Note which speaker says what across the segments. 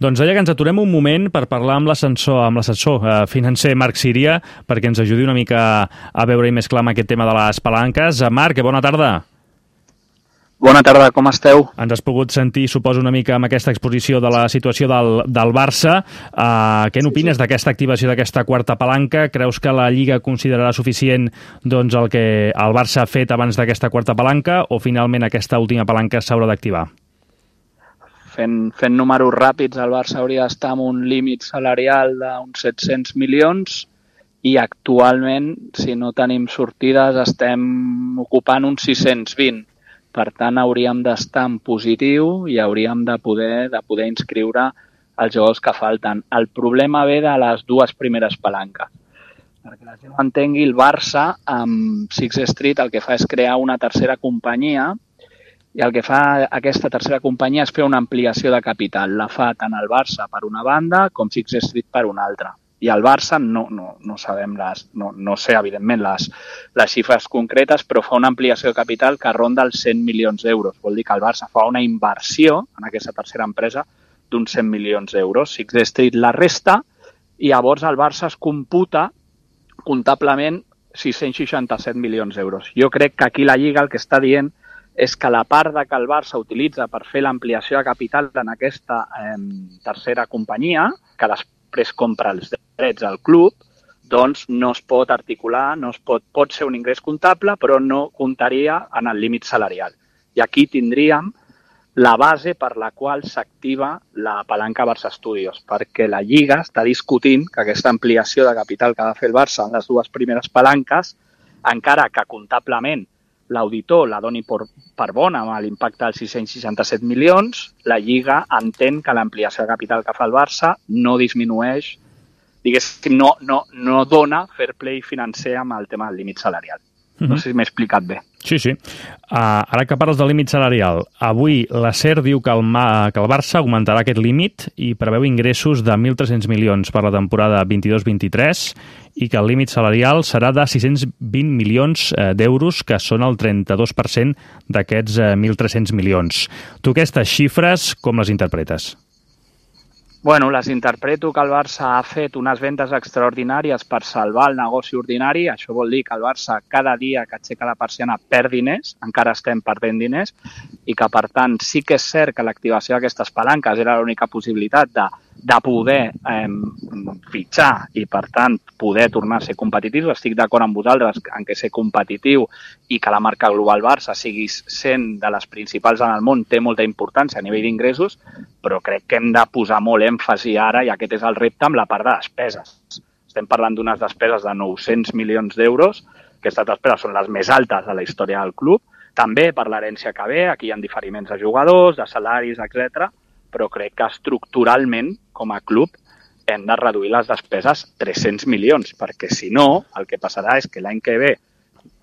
Speaker 1: Doncs deia que ens aturem un moment per parlar amb l'assessor financer Marc Síria, perquè ens ajudi una mica a veure-hi més clar amb aquest tema de les palanques. Marc, bona tarda.
Speaker 2: Bona tarda, com esteu?
Speaker 1: Ens has pogut sentir, suposo, una mica amb aquesta exposició de la situació del Barça. Què n'opines d'aquesta activació d'aquesta quarta palanca? Creus que la Lliga considerarà suficient doncs, el que el Barça ha fet abans d'aquesta quarta palanca o finalment aquesta última palanca s'haurà d'activar?
Speaker 2: Fent números ràpids, el Barça hauria d'estar amb un límit salarial d'uns 700 milions i actualment, si no tenim sortides, estem ocupant uns 620. Per tant, hauríem d'estar en positiu i hauríem de poder inscriure els jugadors que falten. El problema ve de les dues primeres palanques. Perquè la gent ho entengui, el Barça amb Sixth Street el que fa és crear una tercera companyia i el que fa aquesta tercera companyia és fer una ampliació de capital. La fa tant el Barça per una banda com Sixth Street per una altra. I el Barça no sabem no sé evidentment les xifres concretes, però fa una ampliació de capital que ronda els 100 milions d'euros. Vol dir que el Barça fa una inversió en aquesta tercera empresa d'uns 100 milions d'euros. Sixth Street la resta i llavors el Barça es computa comptablement 667 milions d'euros. Jo crec que aquí la Lliga el que està dient és que la part que el Barça utilitza per fer l'ampliació de capital en aquesta tercera companyia, que després compra els drets al club, doncs no es pot articular, pot ser un ingrés comptable, però no comptaria en el límit salarial. I aquí tindríem la base per la qual s'activa la palanca Barça Studios, perquè la Lliga està discutint que aquesta ampliació de capital que ha de fer el Barça en les dues primeres palanques, encara que comptablement l'auditor la doni per bona amb l'impacte dels 667 milions, la Lliga entén que l'ampliació de capital que fa el Barça no disminueix, diguéssim, no dona fair play financer amb el tema del límit salarial. No sé si m'he explicat bé.
Speaker 1: Sí. Ara que parles del límit salarial, avui la SER diu que el Barça augmentarà aquest límit i preveu ingressos de 1.300 milions per la temporada 22-23 i que el límit salarial serà de 620 milions d'euros, que són el 32% d'aquests 1.300 milions. Tu aquestes xifres com les interpretes?
Speaker 2: Bueno, les interpreto que el Barça ha fet unes vendes extraordinàries per salvar el negoci ordinari. Això vol dir que el Barça cada dia que aixeca la persiana perd diners, encara estem perdent diners, i que per tant sí que és cert que l'activació d'aquestes palanques era l'única possibilitat de poder fitxar i per tant poder tornar a ser competitius. Estic d'acord amb vosaltres en que ser competitiu i que la marca global Barça sigui sent de les principals en el món té molta importància a nivell d'ingressos, però crec que hem de posar molt èmfasi ara, i aquest és el repte, amb la part de despeses. Estem parlant d'unes despeses de 900 milions d'euros. Aquestes despeses són les més altes de la història del club. També per l'herència que ve, aquí hi ha diferiments de jugadors, de salaris, etc. Però crec que estructuralment, com a club, hem de reduir les despeses 300 milions, perquè si no, el que passarà és que l'any que ve,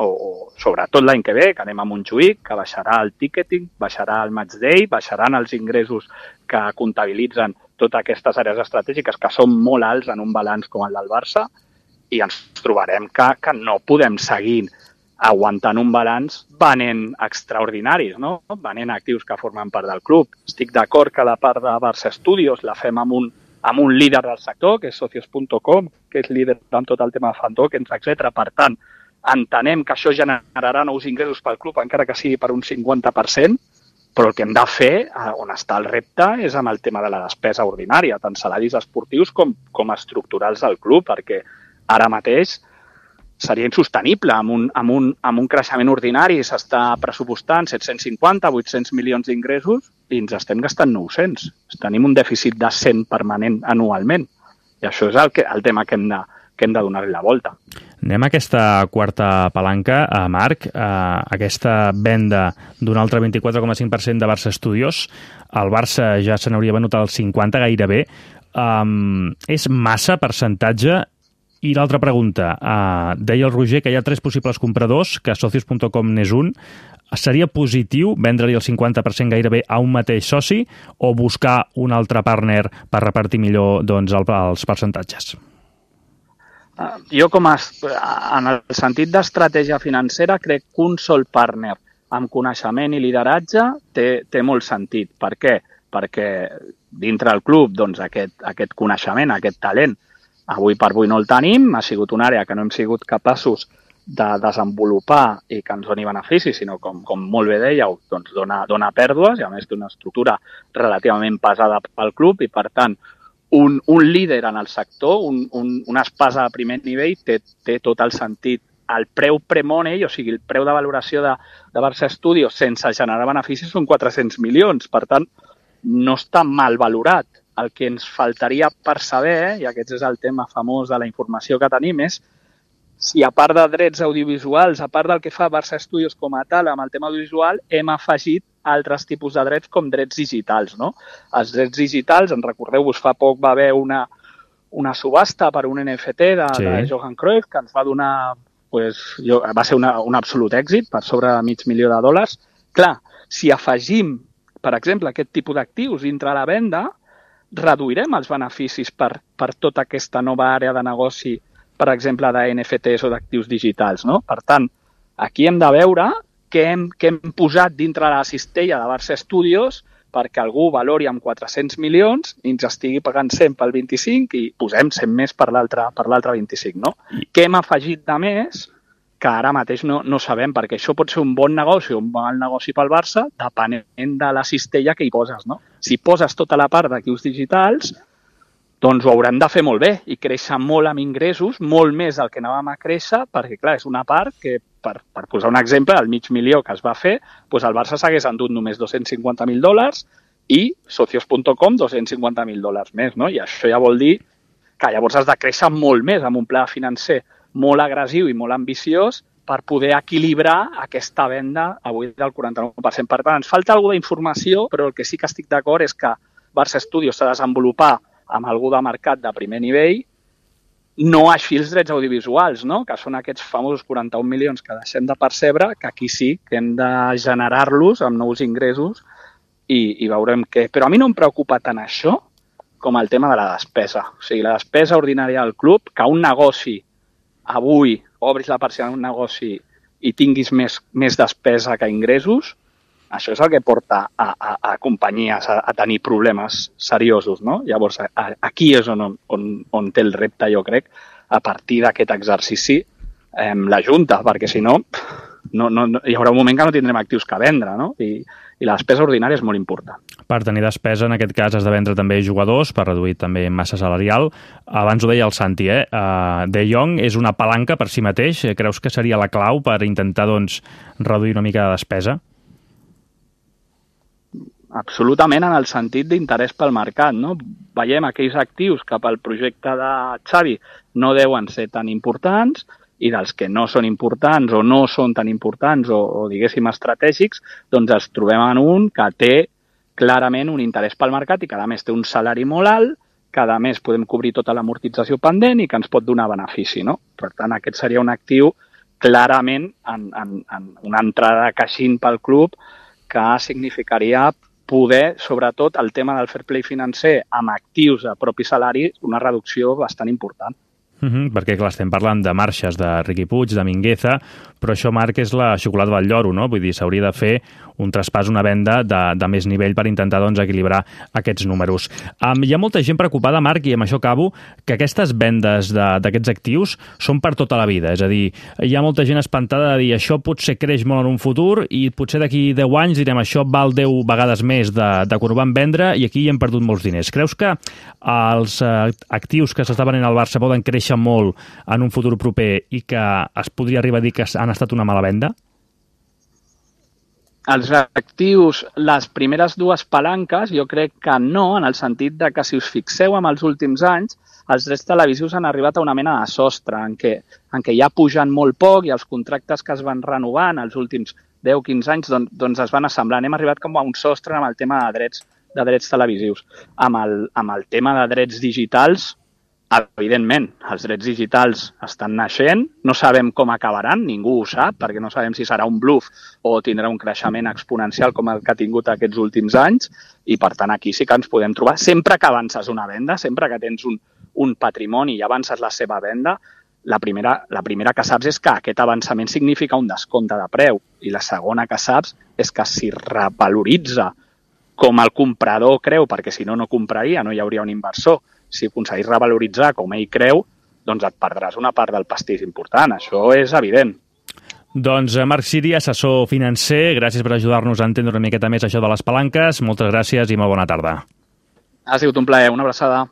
Speaker 2: o sobretot l'any que ve, que anem a Montjuïc, que baixarà el ticketing, baixarà el match day, baixaran els ingressos que comptabilitzen totes aquestes àrees estratègiques que són molt alts en un balanç com el del Barça, i ens trobarem que no podem seguir aguantant un balanç venent extraordinaris, no? Venent actius que formen part del club. Estic d'acord que la part de Barça Studios la fem amb un líder del sector, que és socios.com, que és líder en tot el tema de fan tokens, etc. Per tant, entenem que això generarà nous ingressos pel club, encara que sigui per un 50%, però el que hem de fer, on està el repte, és amb el tema de la despesa ordinària, tant salaris esportius com estructurals del club, perquè ara mateix seria insostenible. Amb un creixement ordinari s'està pressupostant 750, 800 milions d'ingressos i ens estem gastant 900. Tenim un dèficit de 100 permanent anualment. I això és el tema que hem de donar-li la volta.
Speaker 1: Anem a aquesta quarta palanca, Marc, aquesta venda d'un altre 24,5% de Barça Studios. El Barça ja se n'hauria venut el 50 gairebé. És massa percentatge? I l'altra pregunta, deia el Roger que hi ha 3 possibles compradors, que socios.com n'és un. Seria positiu vendre-li el 50% gairebé a un mateix soci o buscar un altre partner per repartir millor els percentatges?
Speaker 2: Jo, en el sentit d'estratègia financera, crec que un sol partner amb coneixement i lideratge té molt sentit. Per què? Perquè dintre del club doncs, aquest coneixement, aquest talent, avui per avui no el tenim, ha sigut una àrea que no hem sigut capaços de desenvolupar i que ens doni beneficis, sinó com molt bé dèieu, doncs dona pèrdues i a més d'una estructura relativament pesada pel club i per tant un líder en el sector, una espasa de primer nivell té tot el sentit. El preu pre-money, o sigui, el preu de valoració de Barça Studios sense generar beneficis són 400 milions, per tant no està mal valorat. El que ens faltaria per saber, i aquest és el tema famós de la informació que tenim, és si a part de drets audiovisuals, a part del que fa Barça Studios com a tal amb el tema audiovisual, hem afegit altres tipus de drets com drets digitals, no? Els drets digitals, en recordeu-vos, fa poc va haver una subhasta per un NFT de Johan Cruyff que ens va donar, va ser un absolut èxit, per sobre de $500,000. Clar, si afegim, per exemple, aquest tipus d'actius dintre la venda, reduirem els beneficis per tota aquesta nova àrea de negoci, per exemple, de NFTs o d'actius digitals, no? Per tant, aquí hem de veure què hem posat dintre la cistella de Barça Studios perquè algú valori amb 400 milions i ens estigui pagant 100 pel 25 i posem 100 més per l'altre 25, no? Què hem afegit de més que ara mateix no sabem, perquè això pot ser un bon negoci o un mal negoci pel Barça depenent de la cistella que hi poses, no? Si poses tota la part d'actius digitals, doncs ho haurem de fer molt bé i créixer molt amb ingressos, molt més del que anàvem a créixer, perquè, clar, és una part que, per posar un exemple, el $500,000 que es va fer, doncs el Barça s'hagués endut només $250,000 i Socios.com $250,000 més, no? I això ja vol dir que llavors has de créixer molt més amb un pla financer molt agressiu i molt ambiciós per poder equilibrar aquesta venda avui del 49%. Per tant, ens falta alguna d'informació, però el que sí que estic d'acord és que Barça Studios s'ha de desenvolupar amb algú de mercat de primer nivell, no així els drets audiovisuals, no? Que són aquests famosos 41 milions que deixem de percebre, que aquí sí que hem de generar-los amb nous ingressos i veurem què. Però a mi no em preocupa tant això com el tema de la despesa. O sigui, la despesa ordinària del club, que un negoci avui obris la persiana d'un negoci i tinguis més despesa que ingressos, això és el que porta a companyies a tenir problemes seriosos, no? Llavors, aquí és on té el repte, jo crec, a partir d'aquest exercici, la Junta, perquè si no, hi haurà un moment que no tindrem actius que vendre, no? I la despesa ordinària és molt important.
Speaker 1: Per tenir despesa, en aquest cas, has de vendre també jugadors per reduir també massa salarial. Abans ho deia el Santi, De Jong és una palanca per si mateix. Creus que seria la clau per intentar, doncs, reduir una mica de despesa?
Speaker 2: Absolutament, en el sentit d'interès pel mercat, no? Veiem aquells actius que pel projecte de Xavi no deuen ser tan importants i dels que no són importants o no són tan importants o diguéssim estratègics, doncs els trobem en un que té clarament un interès pel mercat i que a més té un salari molt alt, que a més podem cobrir tota l'amortització pendent i que ens pot donar benefici, no? Per tant, aquest seria un actiu clarament en una entrada de caixín pel club que significaria poder, sobretot, el tema del fair play financer amb actius de propi salari, una reducció bastant important.
Speaker 1: Perquè, clar, estem parlant de marxes de Riqui Puig, de Mingueza, però això, Marc, és la xocolata del lloro, no? Vull dir, s'hauria de fer un traspàs, una venda de més nivell per intentar, doncs, equilibrar aquests números. Hi ha molta gent preocupada, Marc, i amb això acabo, que aquestes vendes d'aquests actius són per tota la vida. És a dir, hi ha molta gent espantada de dir això potser creix molt en un futur i potser d'aquí 10 anys direm això val 10 vegades més de quan ho van vendre i aquí hi hem perdut molts diners. Creus que els actius que s'està venent al Barça poden créixer molt en un futur proper i que es podria arribar a dir que han estat una mala venda?
Speaker 2: Els actius, les primeres dues palanques, jo crec que no, en el sentit de que si us fixeu en els últims anys, els drets televisius han arribat a una mena de sostre en què ja pugen molt poc i els contractes que es van renovant els últims 10-15 anys doncs es van assemblant. Hem arribat com a un sostre amb el tema de drets televisius. Amb el tema de drets digitals, evidentment, els drets digitals estan naixent, no sabem com acabaran, ningú ho sap, perquè no sabem si serà un bluff o tindrà un creixement exponencial com el que ha tingut aquests últims anys, i per tant aquí sí que ens podem trobar. Sempre que avances una venda, sempre que tens un patrimoni i avances la seva venda, la primera que saps és que aquest avançament significa un descompte de preu, i la segona que saps és que si revaloritza com el comprador creu, perquè si no, no compraria, no hi hauria un inversor. Si aconseguís revaloritzar com ell creu, doncs et perdràs una part del pastís important. Això és evident.
Speaker 1: Doncs Marc Ciri, assessor financer, gràcies per ajudar-nos a entendre una miqueta més això de les palanques. Moltes gràcies i molt bona tarda.
Speaker 2: Ha sigut un plaer. Una abraçada.